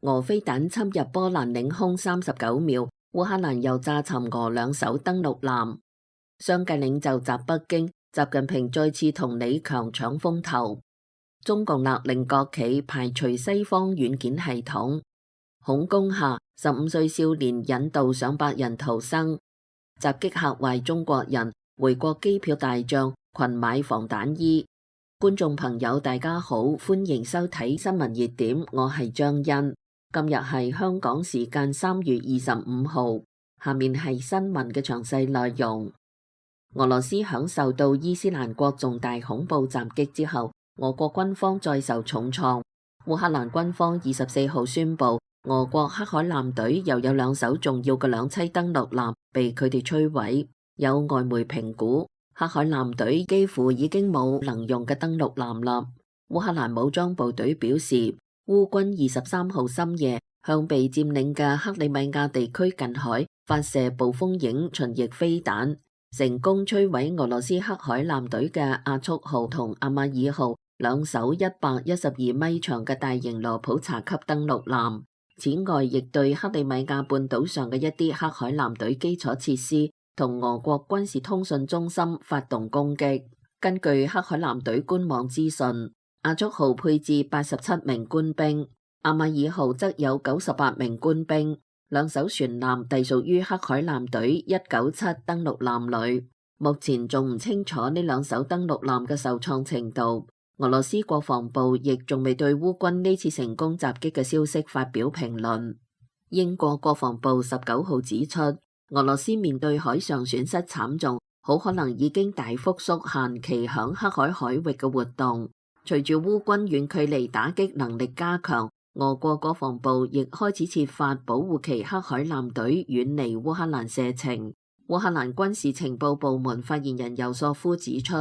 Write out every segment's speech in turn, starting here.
俄飛彈侵入波蘭領空39秒，烏克蘭又炸沉俄兩艘登陸艦。商界領袖襲北京，習近平再次同李強搶風頭。中共勒令國企排除西方軟件系統。恐攻下，15歲少年引導上百人逃生。襲擊嚇壞中國人，回國機票大漲，群買防彈衣。觀眾朋友大家好，歡迎收睇新聞熱點，我係張欣。今日係香港時間3月25號，下面係新聞嘅詳細內容。俄羅斯響受到伊斯蘭國重大恐怖襲擊之後，俄國軍方再受重創。烏克蘭軍方24號宣布，俄國黑海艦隊又有兩艘重要嘅兩棲登陸艦被佢哋摧毀。有外媒評估，黑海艦隊幾乎已經冇能用嘅登陸艦啦。烏克蘭武裝部隊表示，烏軍23號深夜向被佔領嘅克里米亞地區近海發射暴風影巡弋飛彈，成功摧毀俄羅斯黑海艦隊嘅亞速號同阿馬爾號兩艘112米長嘅大型羅普查級登陸艦。此外，亦對克里米亞半島上嘅一啲黑海艦隊基礎設施同俄國軍事通訊中心發動攻擊。根據黑海艦隊官網資訊，亞速號配置87名官兵，阿馬爾號則有98名官兵。兩艘船艦隸屬於黑海艦隊197登陸艦旅。目前仲唔清楚呢兩艘登陸艦嘅受創程度。俄羅斯國防部亦仲未對烏軍呢次成功襲擊嘅消息發表評論。英國國防部19號指出，俄羅斯面對海上損失慘重，好可能已經大幅縮限其響黑海海域嘅活動。隨住烏軍遠距離打擊能力加強，俄國國防部亦開始設法保護其黑海艦隊遠離烏克蘭射程。烏克蘭軍事情報部門發言人尤索夫指出，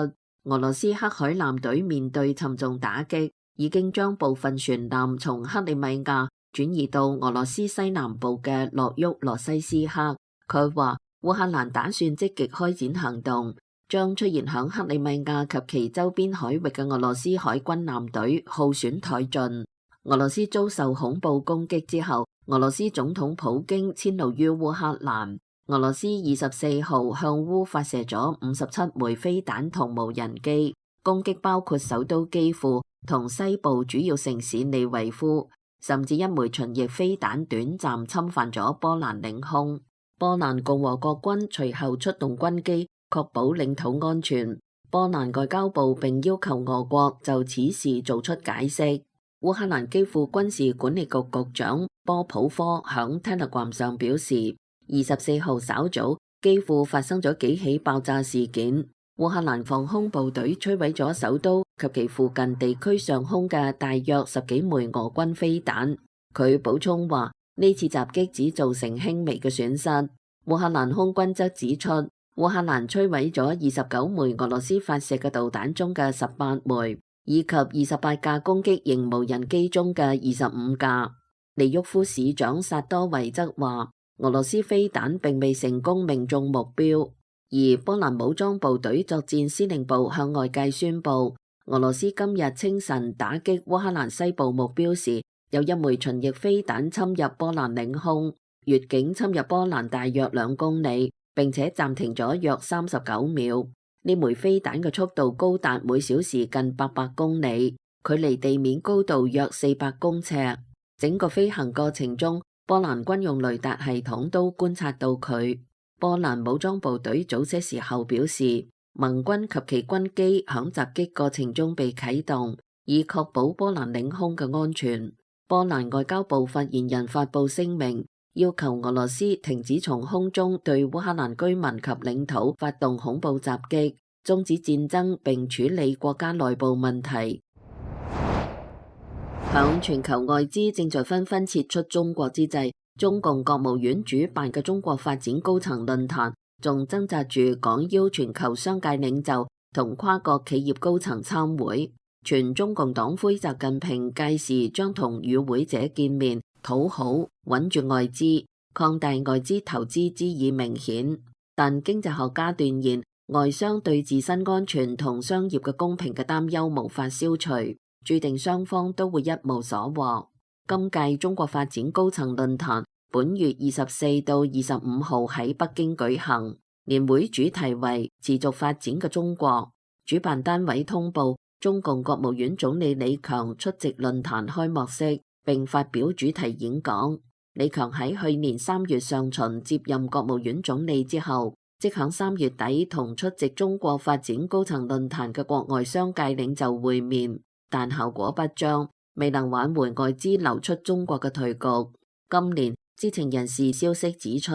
俄羅斯黑海艦隊面對沉重打擊，已經將部分船艦從克里米亞轉移到俄羅斯西南部嘅諾沃羅西斯克。佢話烏克蘭打算積極開展行動，將出現響克里米亞及其周邊海域嘅俄羅斯海軍艦隊耗損殆盡。俄羅斯遭受恐怖攻擊之後，俄羅斯總統普京遷怒於烏克蘭。俄羅斯24號向烏發射咗57枚飛彈同無人機，攻擊包括首都基輔同西部主要城市利維夫，甚至一枚巡弋飛彈短暫侵犯咗波蘭領空。波蘭共和國軍隨後出動軍機，確保領土安全。波蘭外交部並要求俄國就此事做出解釋。烏克蘭基輔軍事管理局局長波普科響 Telegram 上表示，24號稍早，基輔發生咗幾起爆炸事件。烏克蘭防空部隊摧毀咗首都及其附近地區上空嘅大約10幾枚俄軍飛彈。佢補充話，呢次襲擊只造成輕微嘅損失。烏克蘭空軍則指出，烏克蘭摧毀咗29枚俄羅斯發射嘅導彈中嘅18枚，以及28架攻擊型無人機中嘅25架。利沃夫市長薩多維則話，俄羅斯飛彈並未成功命中目標，而波蘭武裝部隊作戰司令部向外界宣布，俄羅斯今日清晨打擊烏克蘭西部目標時，有一枚巡弋飛彈侵入波蘭領空，越境侵入波蘭大約2公里，並且暫停咗約39秒。呢枚飛彈嘅速度高達每小時近800公里，距離地面高度約400公尺。整個飛行過程中，波蘭軍用雷達系統都觀察到佢。波蘭武裝部隊早些時候表示，盟軍及其軍機響襲擊過程中被啟動，以確保波蘭領空嘅安全。波蘭外交部發言人發布聲明，要求俄羅斯停止從空中對烏克蘭居民及領土發動恐怖襲擊，終止戰爭並處理國家內部問題。響全球外資正在紛紛撤出中國之際，中共國務院主辦嘅中國發展高層論壇仲掙扎住廣邀全球商界領袖同跨國企業高層參會。全中共黨魁習近平屆時將同與會者見面，討好穩住外資，擴大外資投資之意明顯。但經濟學家斷言，外商對自身安全同商業嘅公平嘅擔憂無法消除，注定雙方都會一無所獲。今屆中國發展高層論壇本月24到25號喺北京舉行，年會主題為持續發展嘅中國。主辦單位通報，中共國務院總理李強出席論壇開幕式並發表主題演講。李強喺去年3月上旬接任國務院總理之後，即響3月底同出席中國發展高層論壇嘅國外商界領袖會面，但效果不彰，未能挽回外資流出中國嘅頹局。今年知情人士消息指出，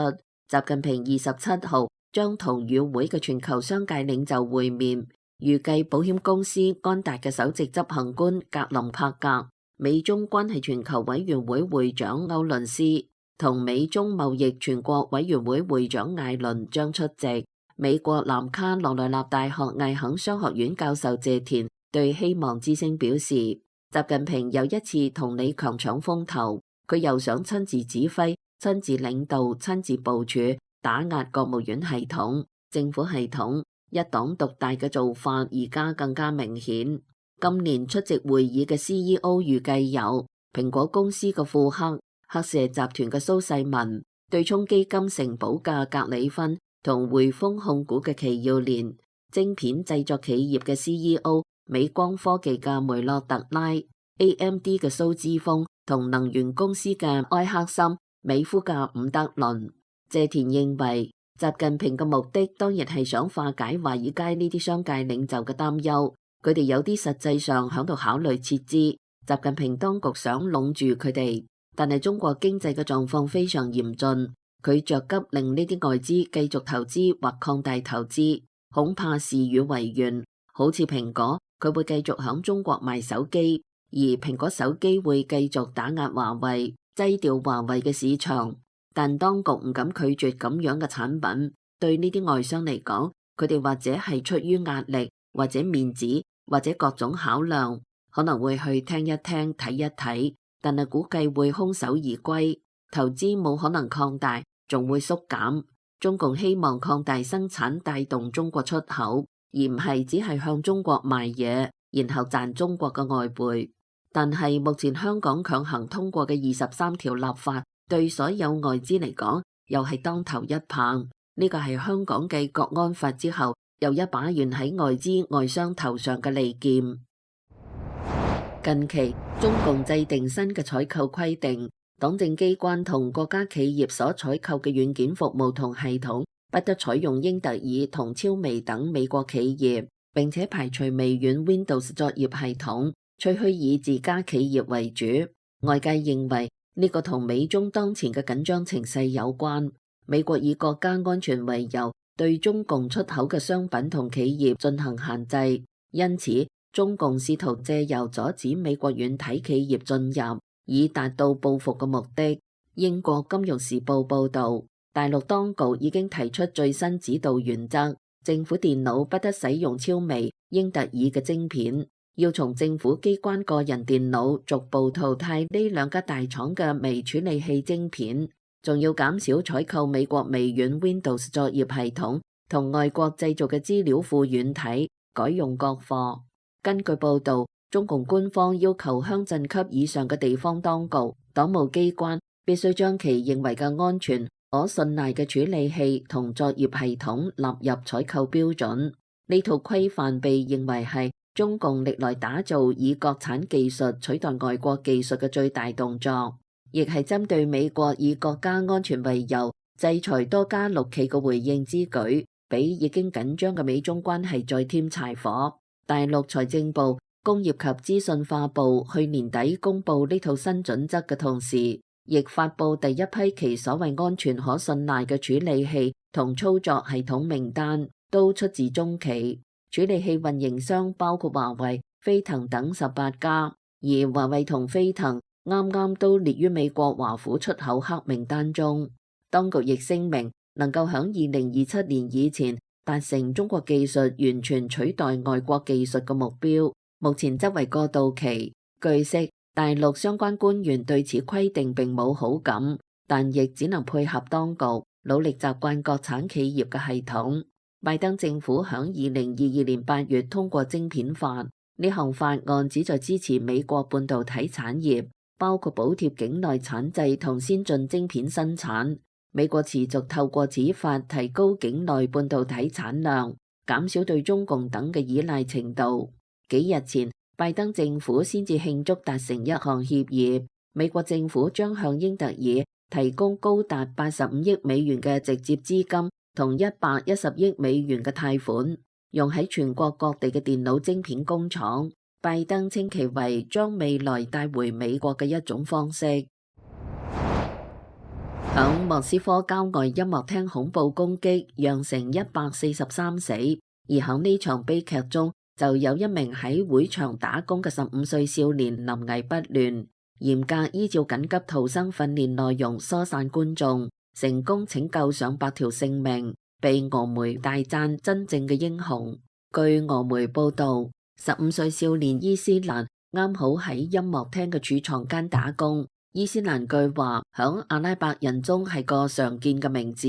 習近平27號將同與會嘅全球商界領袖會面，預計保險公司安達嘅首席執行官格林帕格、美中關係全球委員會會長歐倫斯同美中貿易全國委員會會長艾倫將出席。美國南卡羅來納大學艾肯商學院教授謝田對希望之聲表示，習近平又一次同李強搶風頭，佢又想親自指揮、親自領導、親自部署打壓國務院系統、政府系統，一黨獨大嘅做法而家更加明顯。今年出席會議嘅 CEO 預計有蘋果公司嘅庫克、赫舍集團嘅蘇世民、對沖基金城堡嘅格里芬同匯豐控股嘅祁耀年，晶片製作企業嘅 CEO 美光科技嘅梅洛特拉、AMD 嘅蘇之峰同能源公司嘅埃克森美孚嘅伍德倫。謝田認為，習近平嘅目的當然係想化解華爾街呢啲商界領袖嘅擔憂。佢哋有啲實際上響度考慮撤資，習近平當局想籠住佢哋，但係中國經濟嘅狀況非常嚴峻，佢着急令呢啲外資繼續投資或擴大投資，恐怕事與願違。好似蘋果，佢會繼續響中國賣手機，而蘋果手機會繼續打壓華為，擠掉華為嘅市場。但當局唔敢拒絕咁樣嘅產品，對呢啲外商嚟講，佢哋或者係出於壓力，或者面子。或者各種考量，可能會去聽一聽、睇一睇，但係估計會空手而歸，投資冇可能擴大，仲會縮減。中共希望擴大生產，帶動中國出口，而唔係只係向中國賣嘢，然後賺中國嘅外匯。但係目前香港強行通過嘅23條立法，對所有外資嚟講，又係當頭一棒。呢個係香港繼國安法之後，又一把懸喺外資外商頭上嘅利劍。近期中共制定新嘅採購規定，黨政機關同國家企業所採購嘅軟件服務同系統不得採用英特爾同超微等美國企業，並且排除微軟 Windows 作業系統，吹噓以自家企業為主。外界認為呢個同美中當前嘅緊張情勢有關。美國以國家安全為由，對中共出口嘅商品同企業進行限制，因此中共試圖借由阻止美國軟體企業進入，以達到報復嘅目的。英國金融時報報道，大陸當局已經提出最新指導原則，政府電腦不得使用超微、英特爾嘅晶片，要從政府機關個人電腦逐步淘汰呢兩家大廠嘅微處理器晶片。仲要減少採購美國微軟 Windows 作業系統同外國製造嘅資料庫軟體，改用國貨。根據報導，中共官方要求鄉鎮級以上嘅地方當局、黨務機關必須將其認為嘅安全、可信賴嘅處理器同作業系統納入採購標準。呢套規範被認為係中共歷來打造以國產技術取代外國技術嘅最大動作。亦係針對美國以國家安全為由制裁多家陸企嘅回應之舉，俾已經緊張嘅美中關係再添柴火。大陸財政部、工業及資訊化部去年底公布呢套新準則嘅同時，亦發布第一批其所謂安全可信賴嘅處理器同操作系統名單，都出自中企。處理器運營商包括華為、飛騰等18家，而華為同飛騰啱啱都列於美國華府出口黑名單中。當局亦聲明能夠響2027年以前達成中國技術完全取代外國技術嘅目標，目前則為過渡期。據悉，大陸相關官員對此規定並冇好感，但亦只能配合當局，努力習慣國產企業嘅系統。拜登政府響2022年8月通過晶片法，呢項法案旨在支持美國半導體產業。包括補貼境內產製同先進晶片生產。美國持續透過此法提高境內半導體產量，減少對中共等嘅依賴程度。幾日前，拜登政府先至慶祝達成一項協議，美國政府將向英特爾提供高達85億美元嘅直接資金同110億美元嘅貸款，用喺全國各地嘅電腦晶片工廠。拜登稱其為將未來帶回美國嘅一種方式。響莫斯科郊外音樂廳恐怖攻擊，釀成143死，而響呢場悲劇中，就有一名喺會場打工嘅15歲少年臨危不亂，嚴格依照緊急逃生訓練內容疏散觀眾，成功拯救上百條性命，被俄媒大讚真正嘅英雄。據俄媒報道，15歲少年伊斯蘭啱好喺音樂廳嘅儲藏間打工。伊斯蘭據話響阿拉伯人中係個常見嘅名字。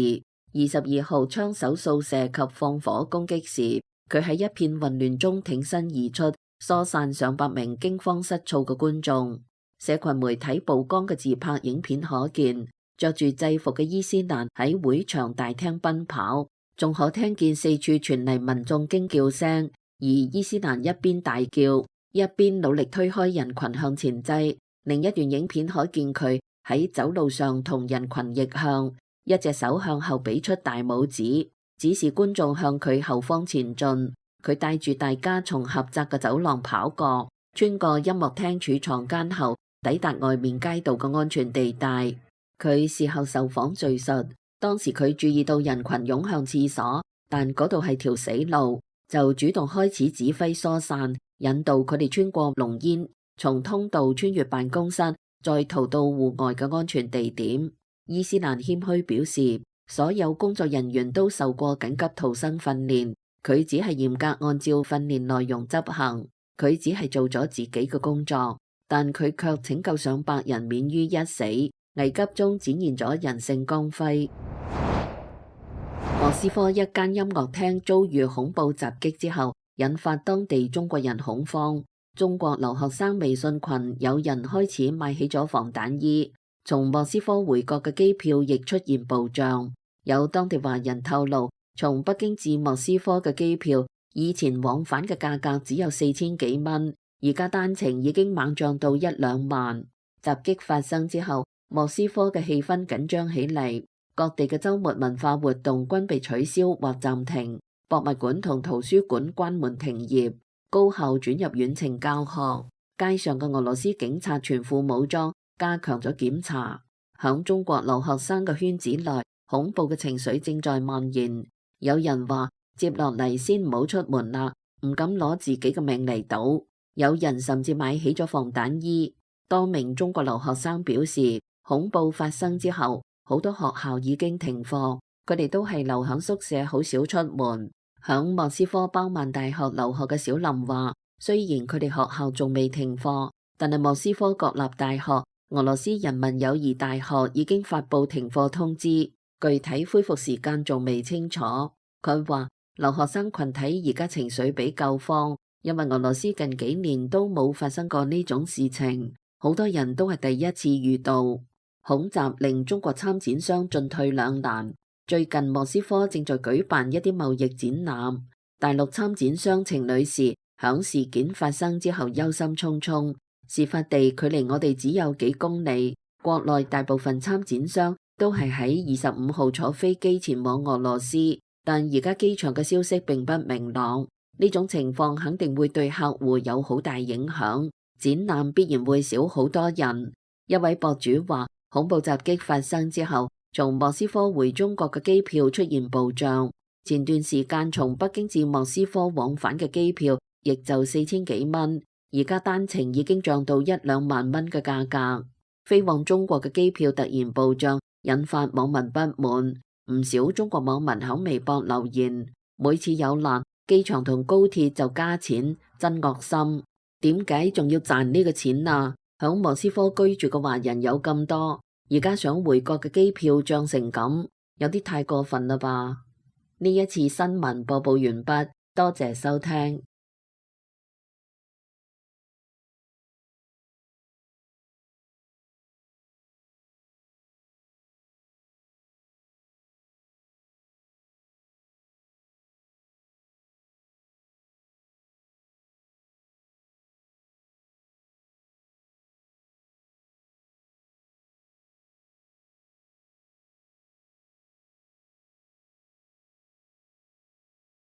22號槍手掃射及放火攻擊時，佢喺一片混亂中挺身而出，疏散上百名驚慌失措嘅觀眾。社群媒體曝光嘅自拍影片可見，着住制服嘅伊斯蘭喺會場大廳奔跑，仲可聽見四處傳嚟民眾驚叫聲。而伊斯蘭一邊大叫，一邊努力推開人群向前擠。另一段影片可見佢喺走路上同人群逆向，一隻手向後比出大拇指，指示觀眾向佢後方前進。佢帶住大家從狹窄嘅走廊跑過，穿過音樂廳儲藏間後，抵達外面街道嘅安全地帶。佢事後受訪敘述，當時佢注意到人群湧向廁所，但嗰度係條死路，就主動開始指揮疏散，引導佢哋穿過濃煙，從通道穿越辦公室，再逃到戶外嘅安全地點。伊斯蘭謙虛表示，所有工作人員都受過緊急逃生訓練，佢只係嚴格按照訓練內容執行，佢只係做咗自己嘅工作，但佢卻拯救上百人免於一死，危急中展現咗人性光輝。莫斯科一間音樂廳遭遇恐怖襲擊之後，引發當地中國人恐慌。中國留學生微信群有人開始買起咗防彈衣，從莫斯科回國嘅機票亦出現暴漲。有當地華人透露，從北京至莫斯科嘅機票以前往返嘅價格只有4000幾蚊，而家單程已經猛漲到1-2萬。襲擊發生之後，莫斯科嘅氣氛緊張起嚟。各地嘅週末文化活動均被取消或暫停，博物館同圖書館關門停業，高校轉入遠程教學。街上嘅俄羅斯警察全副武裝，加強咗檢查。響中國留學生嘅圈子內，恐怖嘅情緒正在蔓延。有人話接落嚟先唔好出門啦，唔敢攞自己嘅命嚟賭。有人甚至買起咗防彈衣。多名中國留學生表示，恐怖發生之後，好多學校已經停課，佢哋都係留響宿舍，好少出門。響莫斯科包曼大學留學嘅小林話，雖然佢哋學校仲未停課，但係莫斯科國立大學、俄羅斯人民友誼大學已經發布停課通知，具體恢復時間仲未清楚。佢話留學生群體而家情緒比較慌，因為俄羅斯近幾年都冇發生過呢種事情，好多人都係第一次遇到。恐襲令中國參展商進退兩難。最近莫斯科正在舉辦一啲貿易展覽，大陸參展商程女士響事件發生之後憂心忡忡。事發地距離我哋只有幾公里，國內大部分參展商都係喺25號坐飛機前往俄羅斯，但而家機場嘅消息並不明朗。呢種情況肯定會對客戶有好大影響，展覽必然會少好多人。一位博主話，恐怖襲擊發生之後，從莫斯科回中國嘅機票出現暴漲。前段時間從北京至莫斯科往返嘅機票亦就4000幾蚊，而家單程已經漲到1-2萬蚊嘅價格。飛往中國嘅機票突然暴漲，引發網民不滿。唔少中國網民喺微博留言：每次有難，機場同高鐵就加錢，真惡心。點解仲要賺呢個錢啊？響莫斯科居住嘅華人有咁多，而家想回國嘅機票漲成咁，有啲太過分啦吧？呢一次新聞播報完畢，多謝收聽。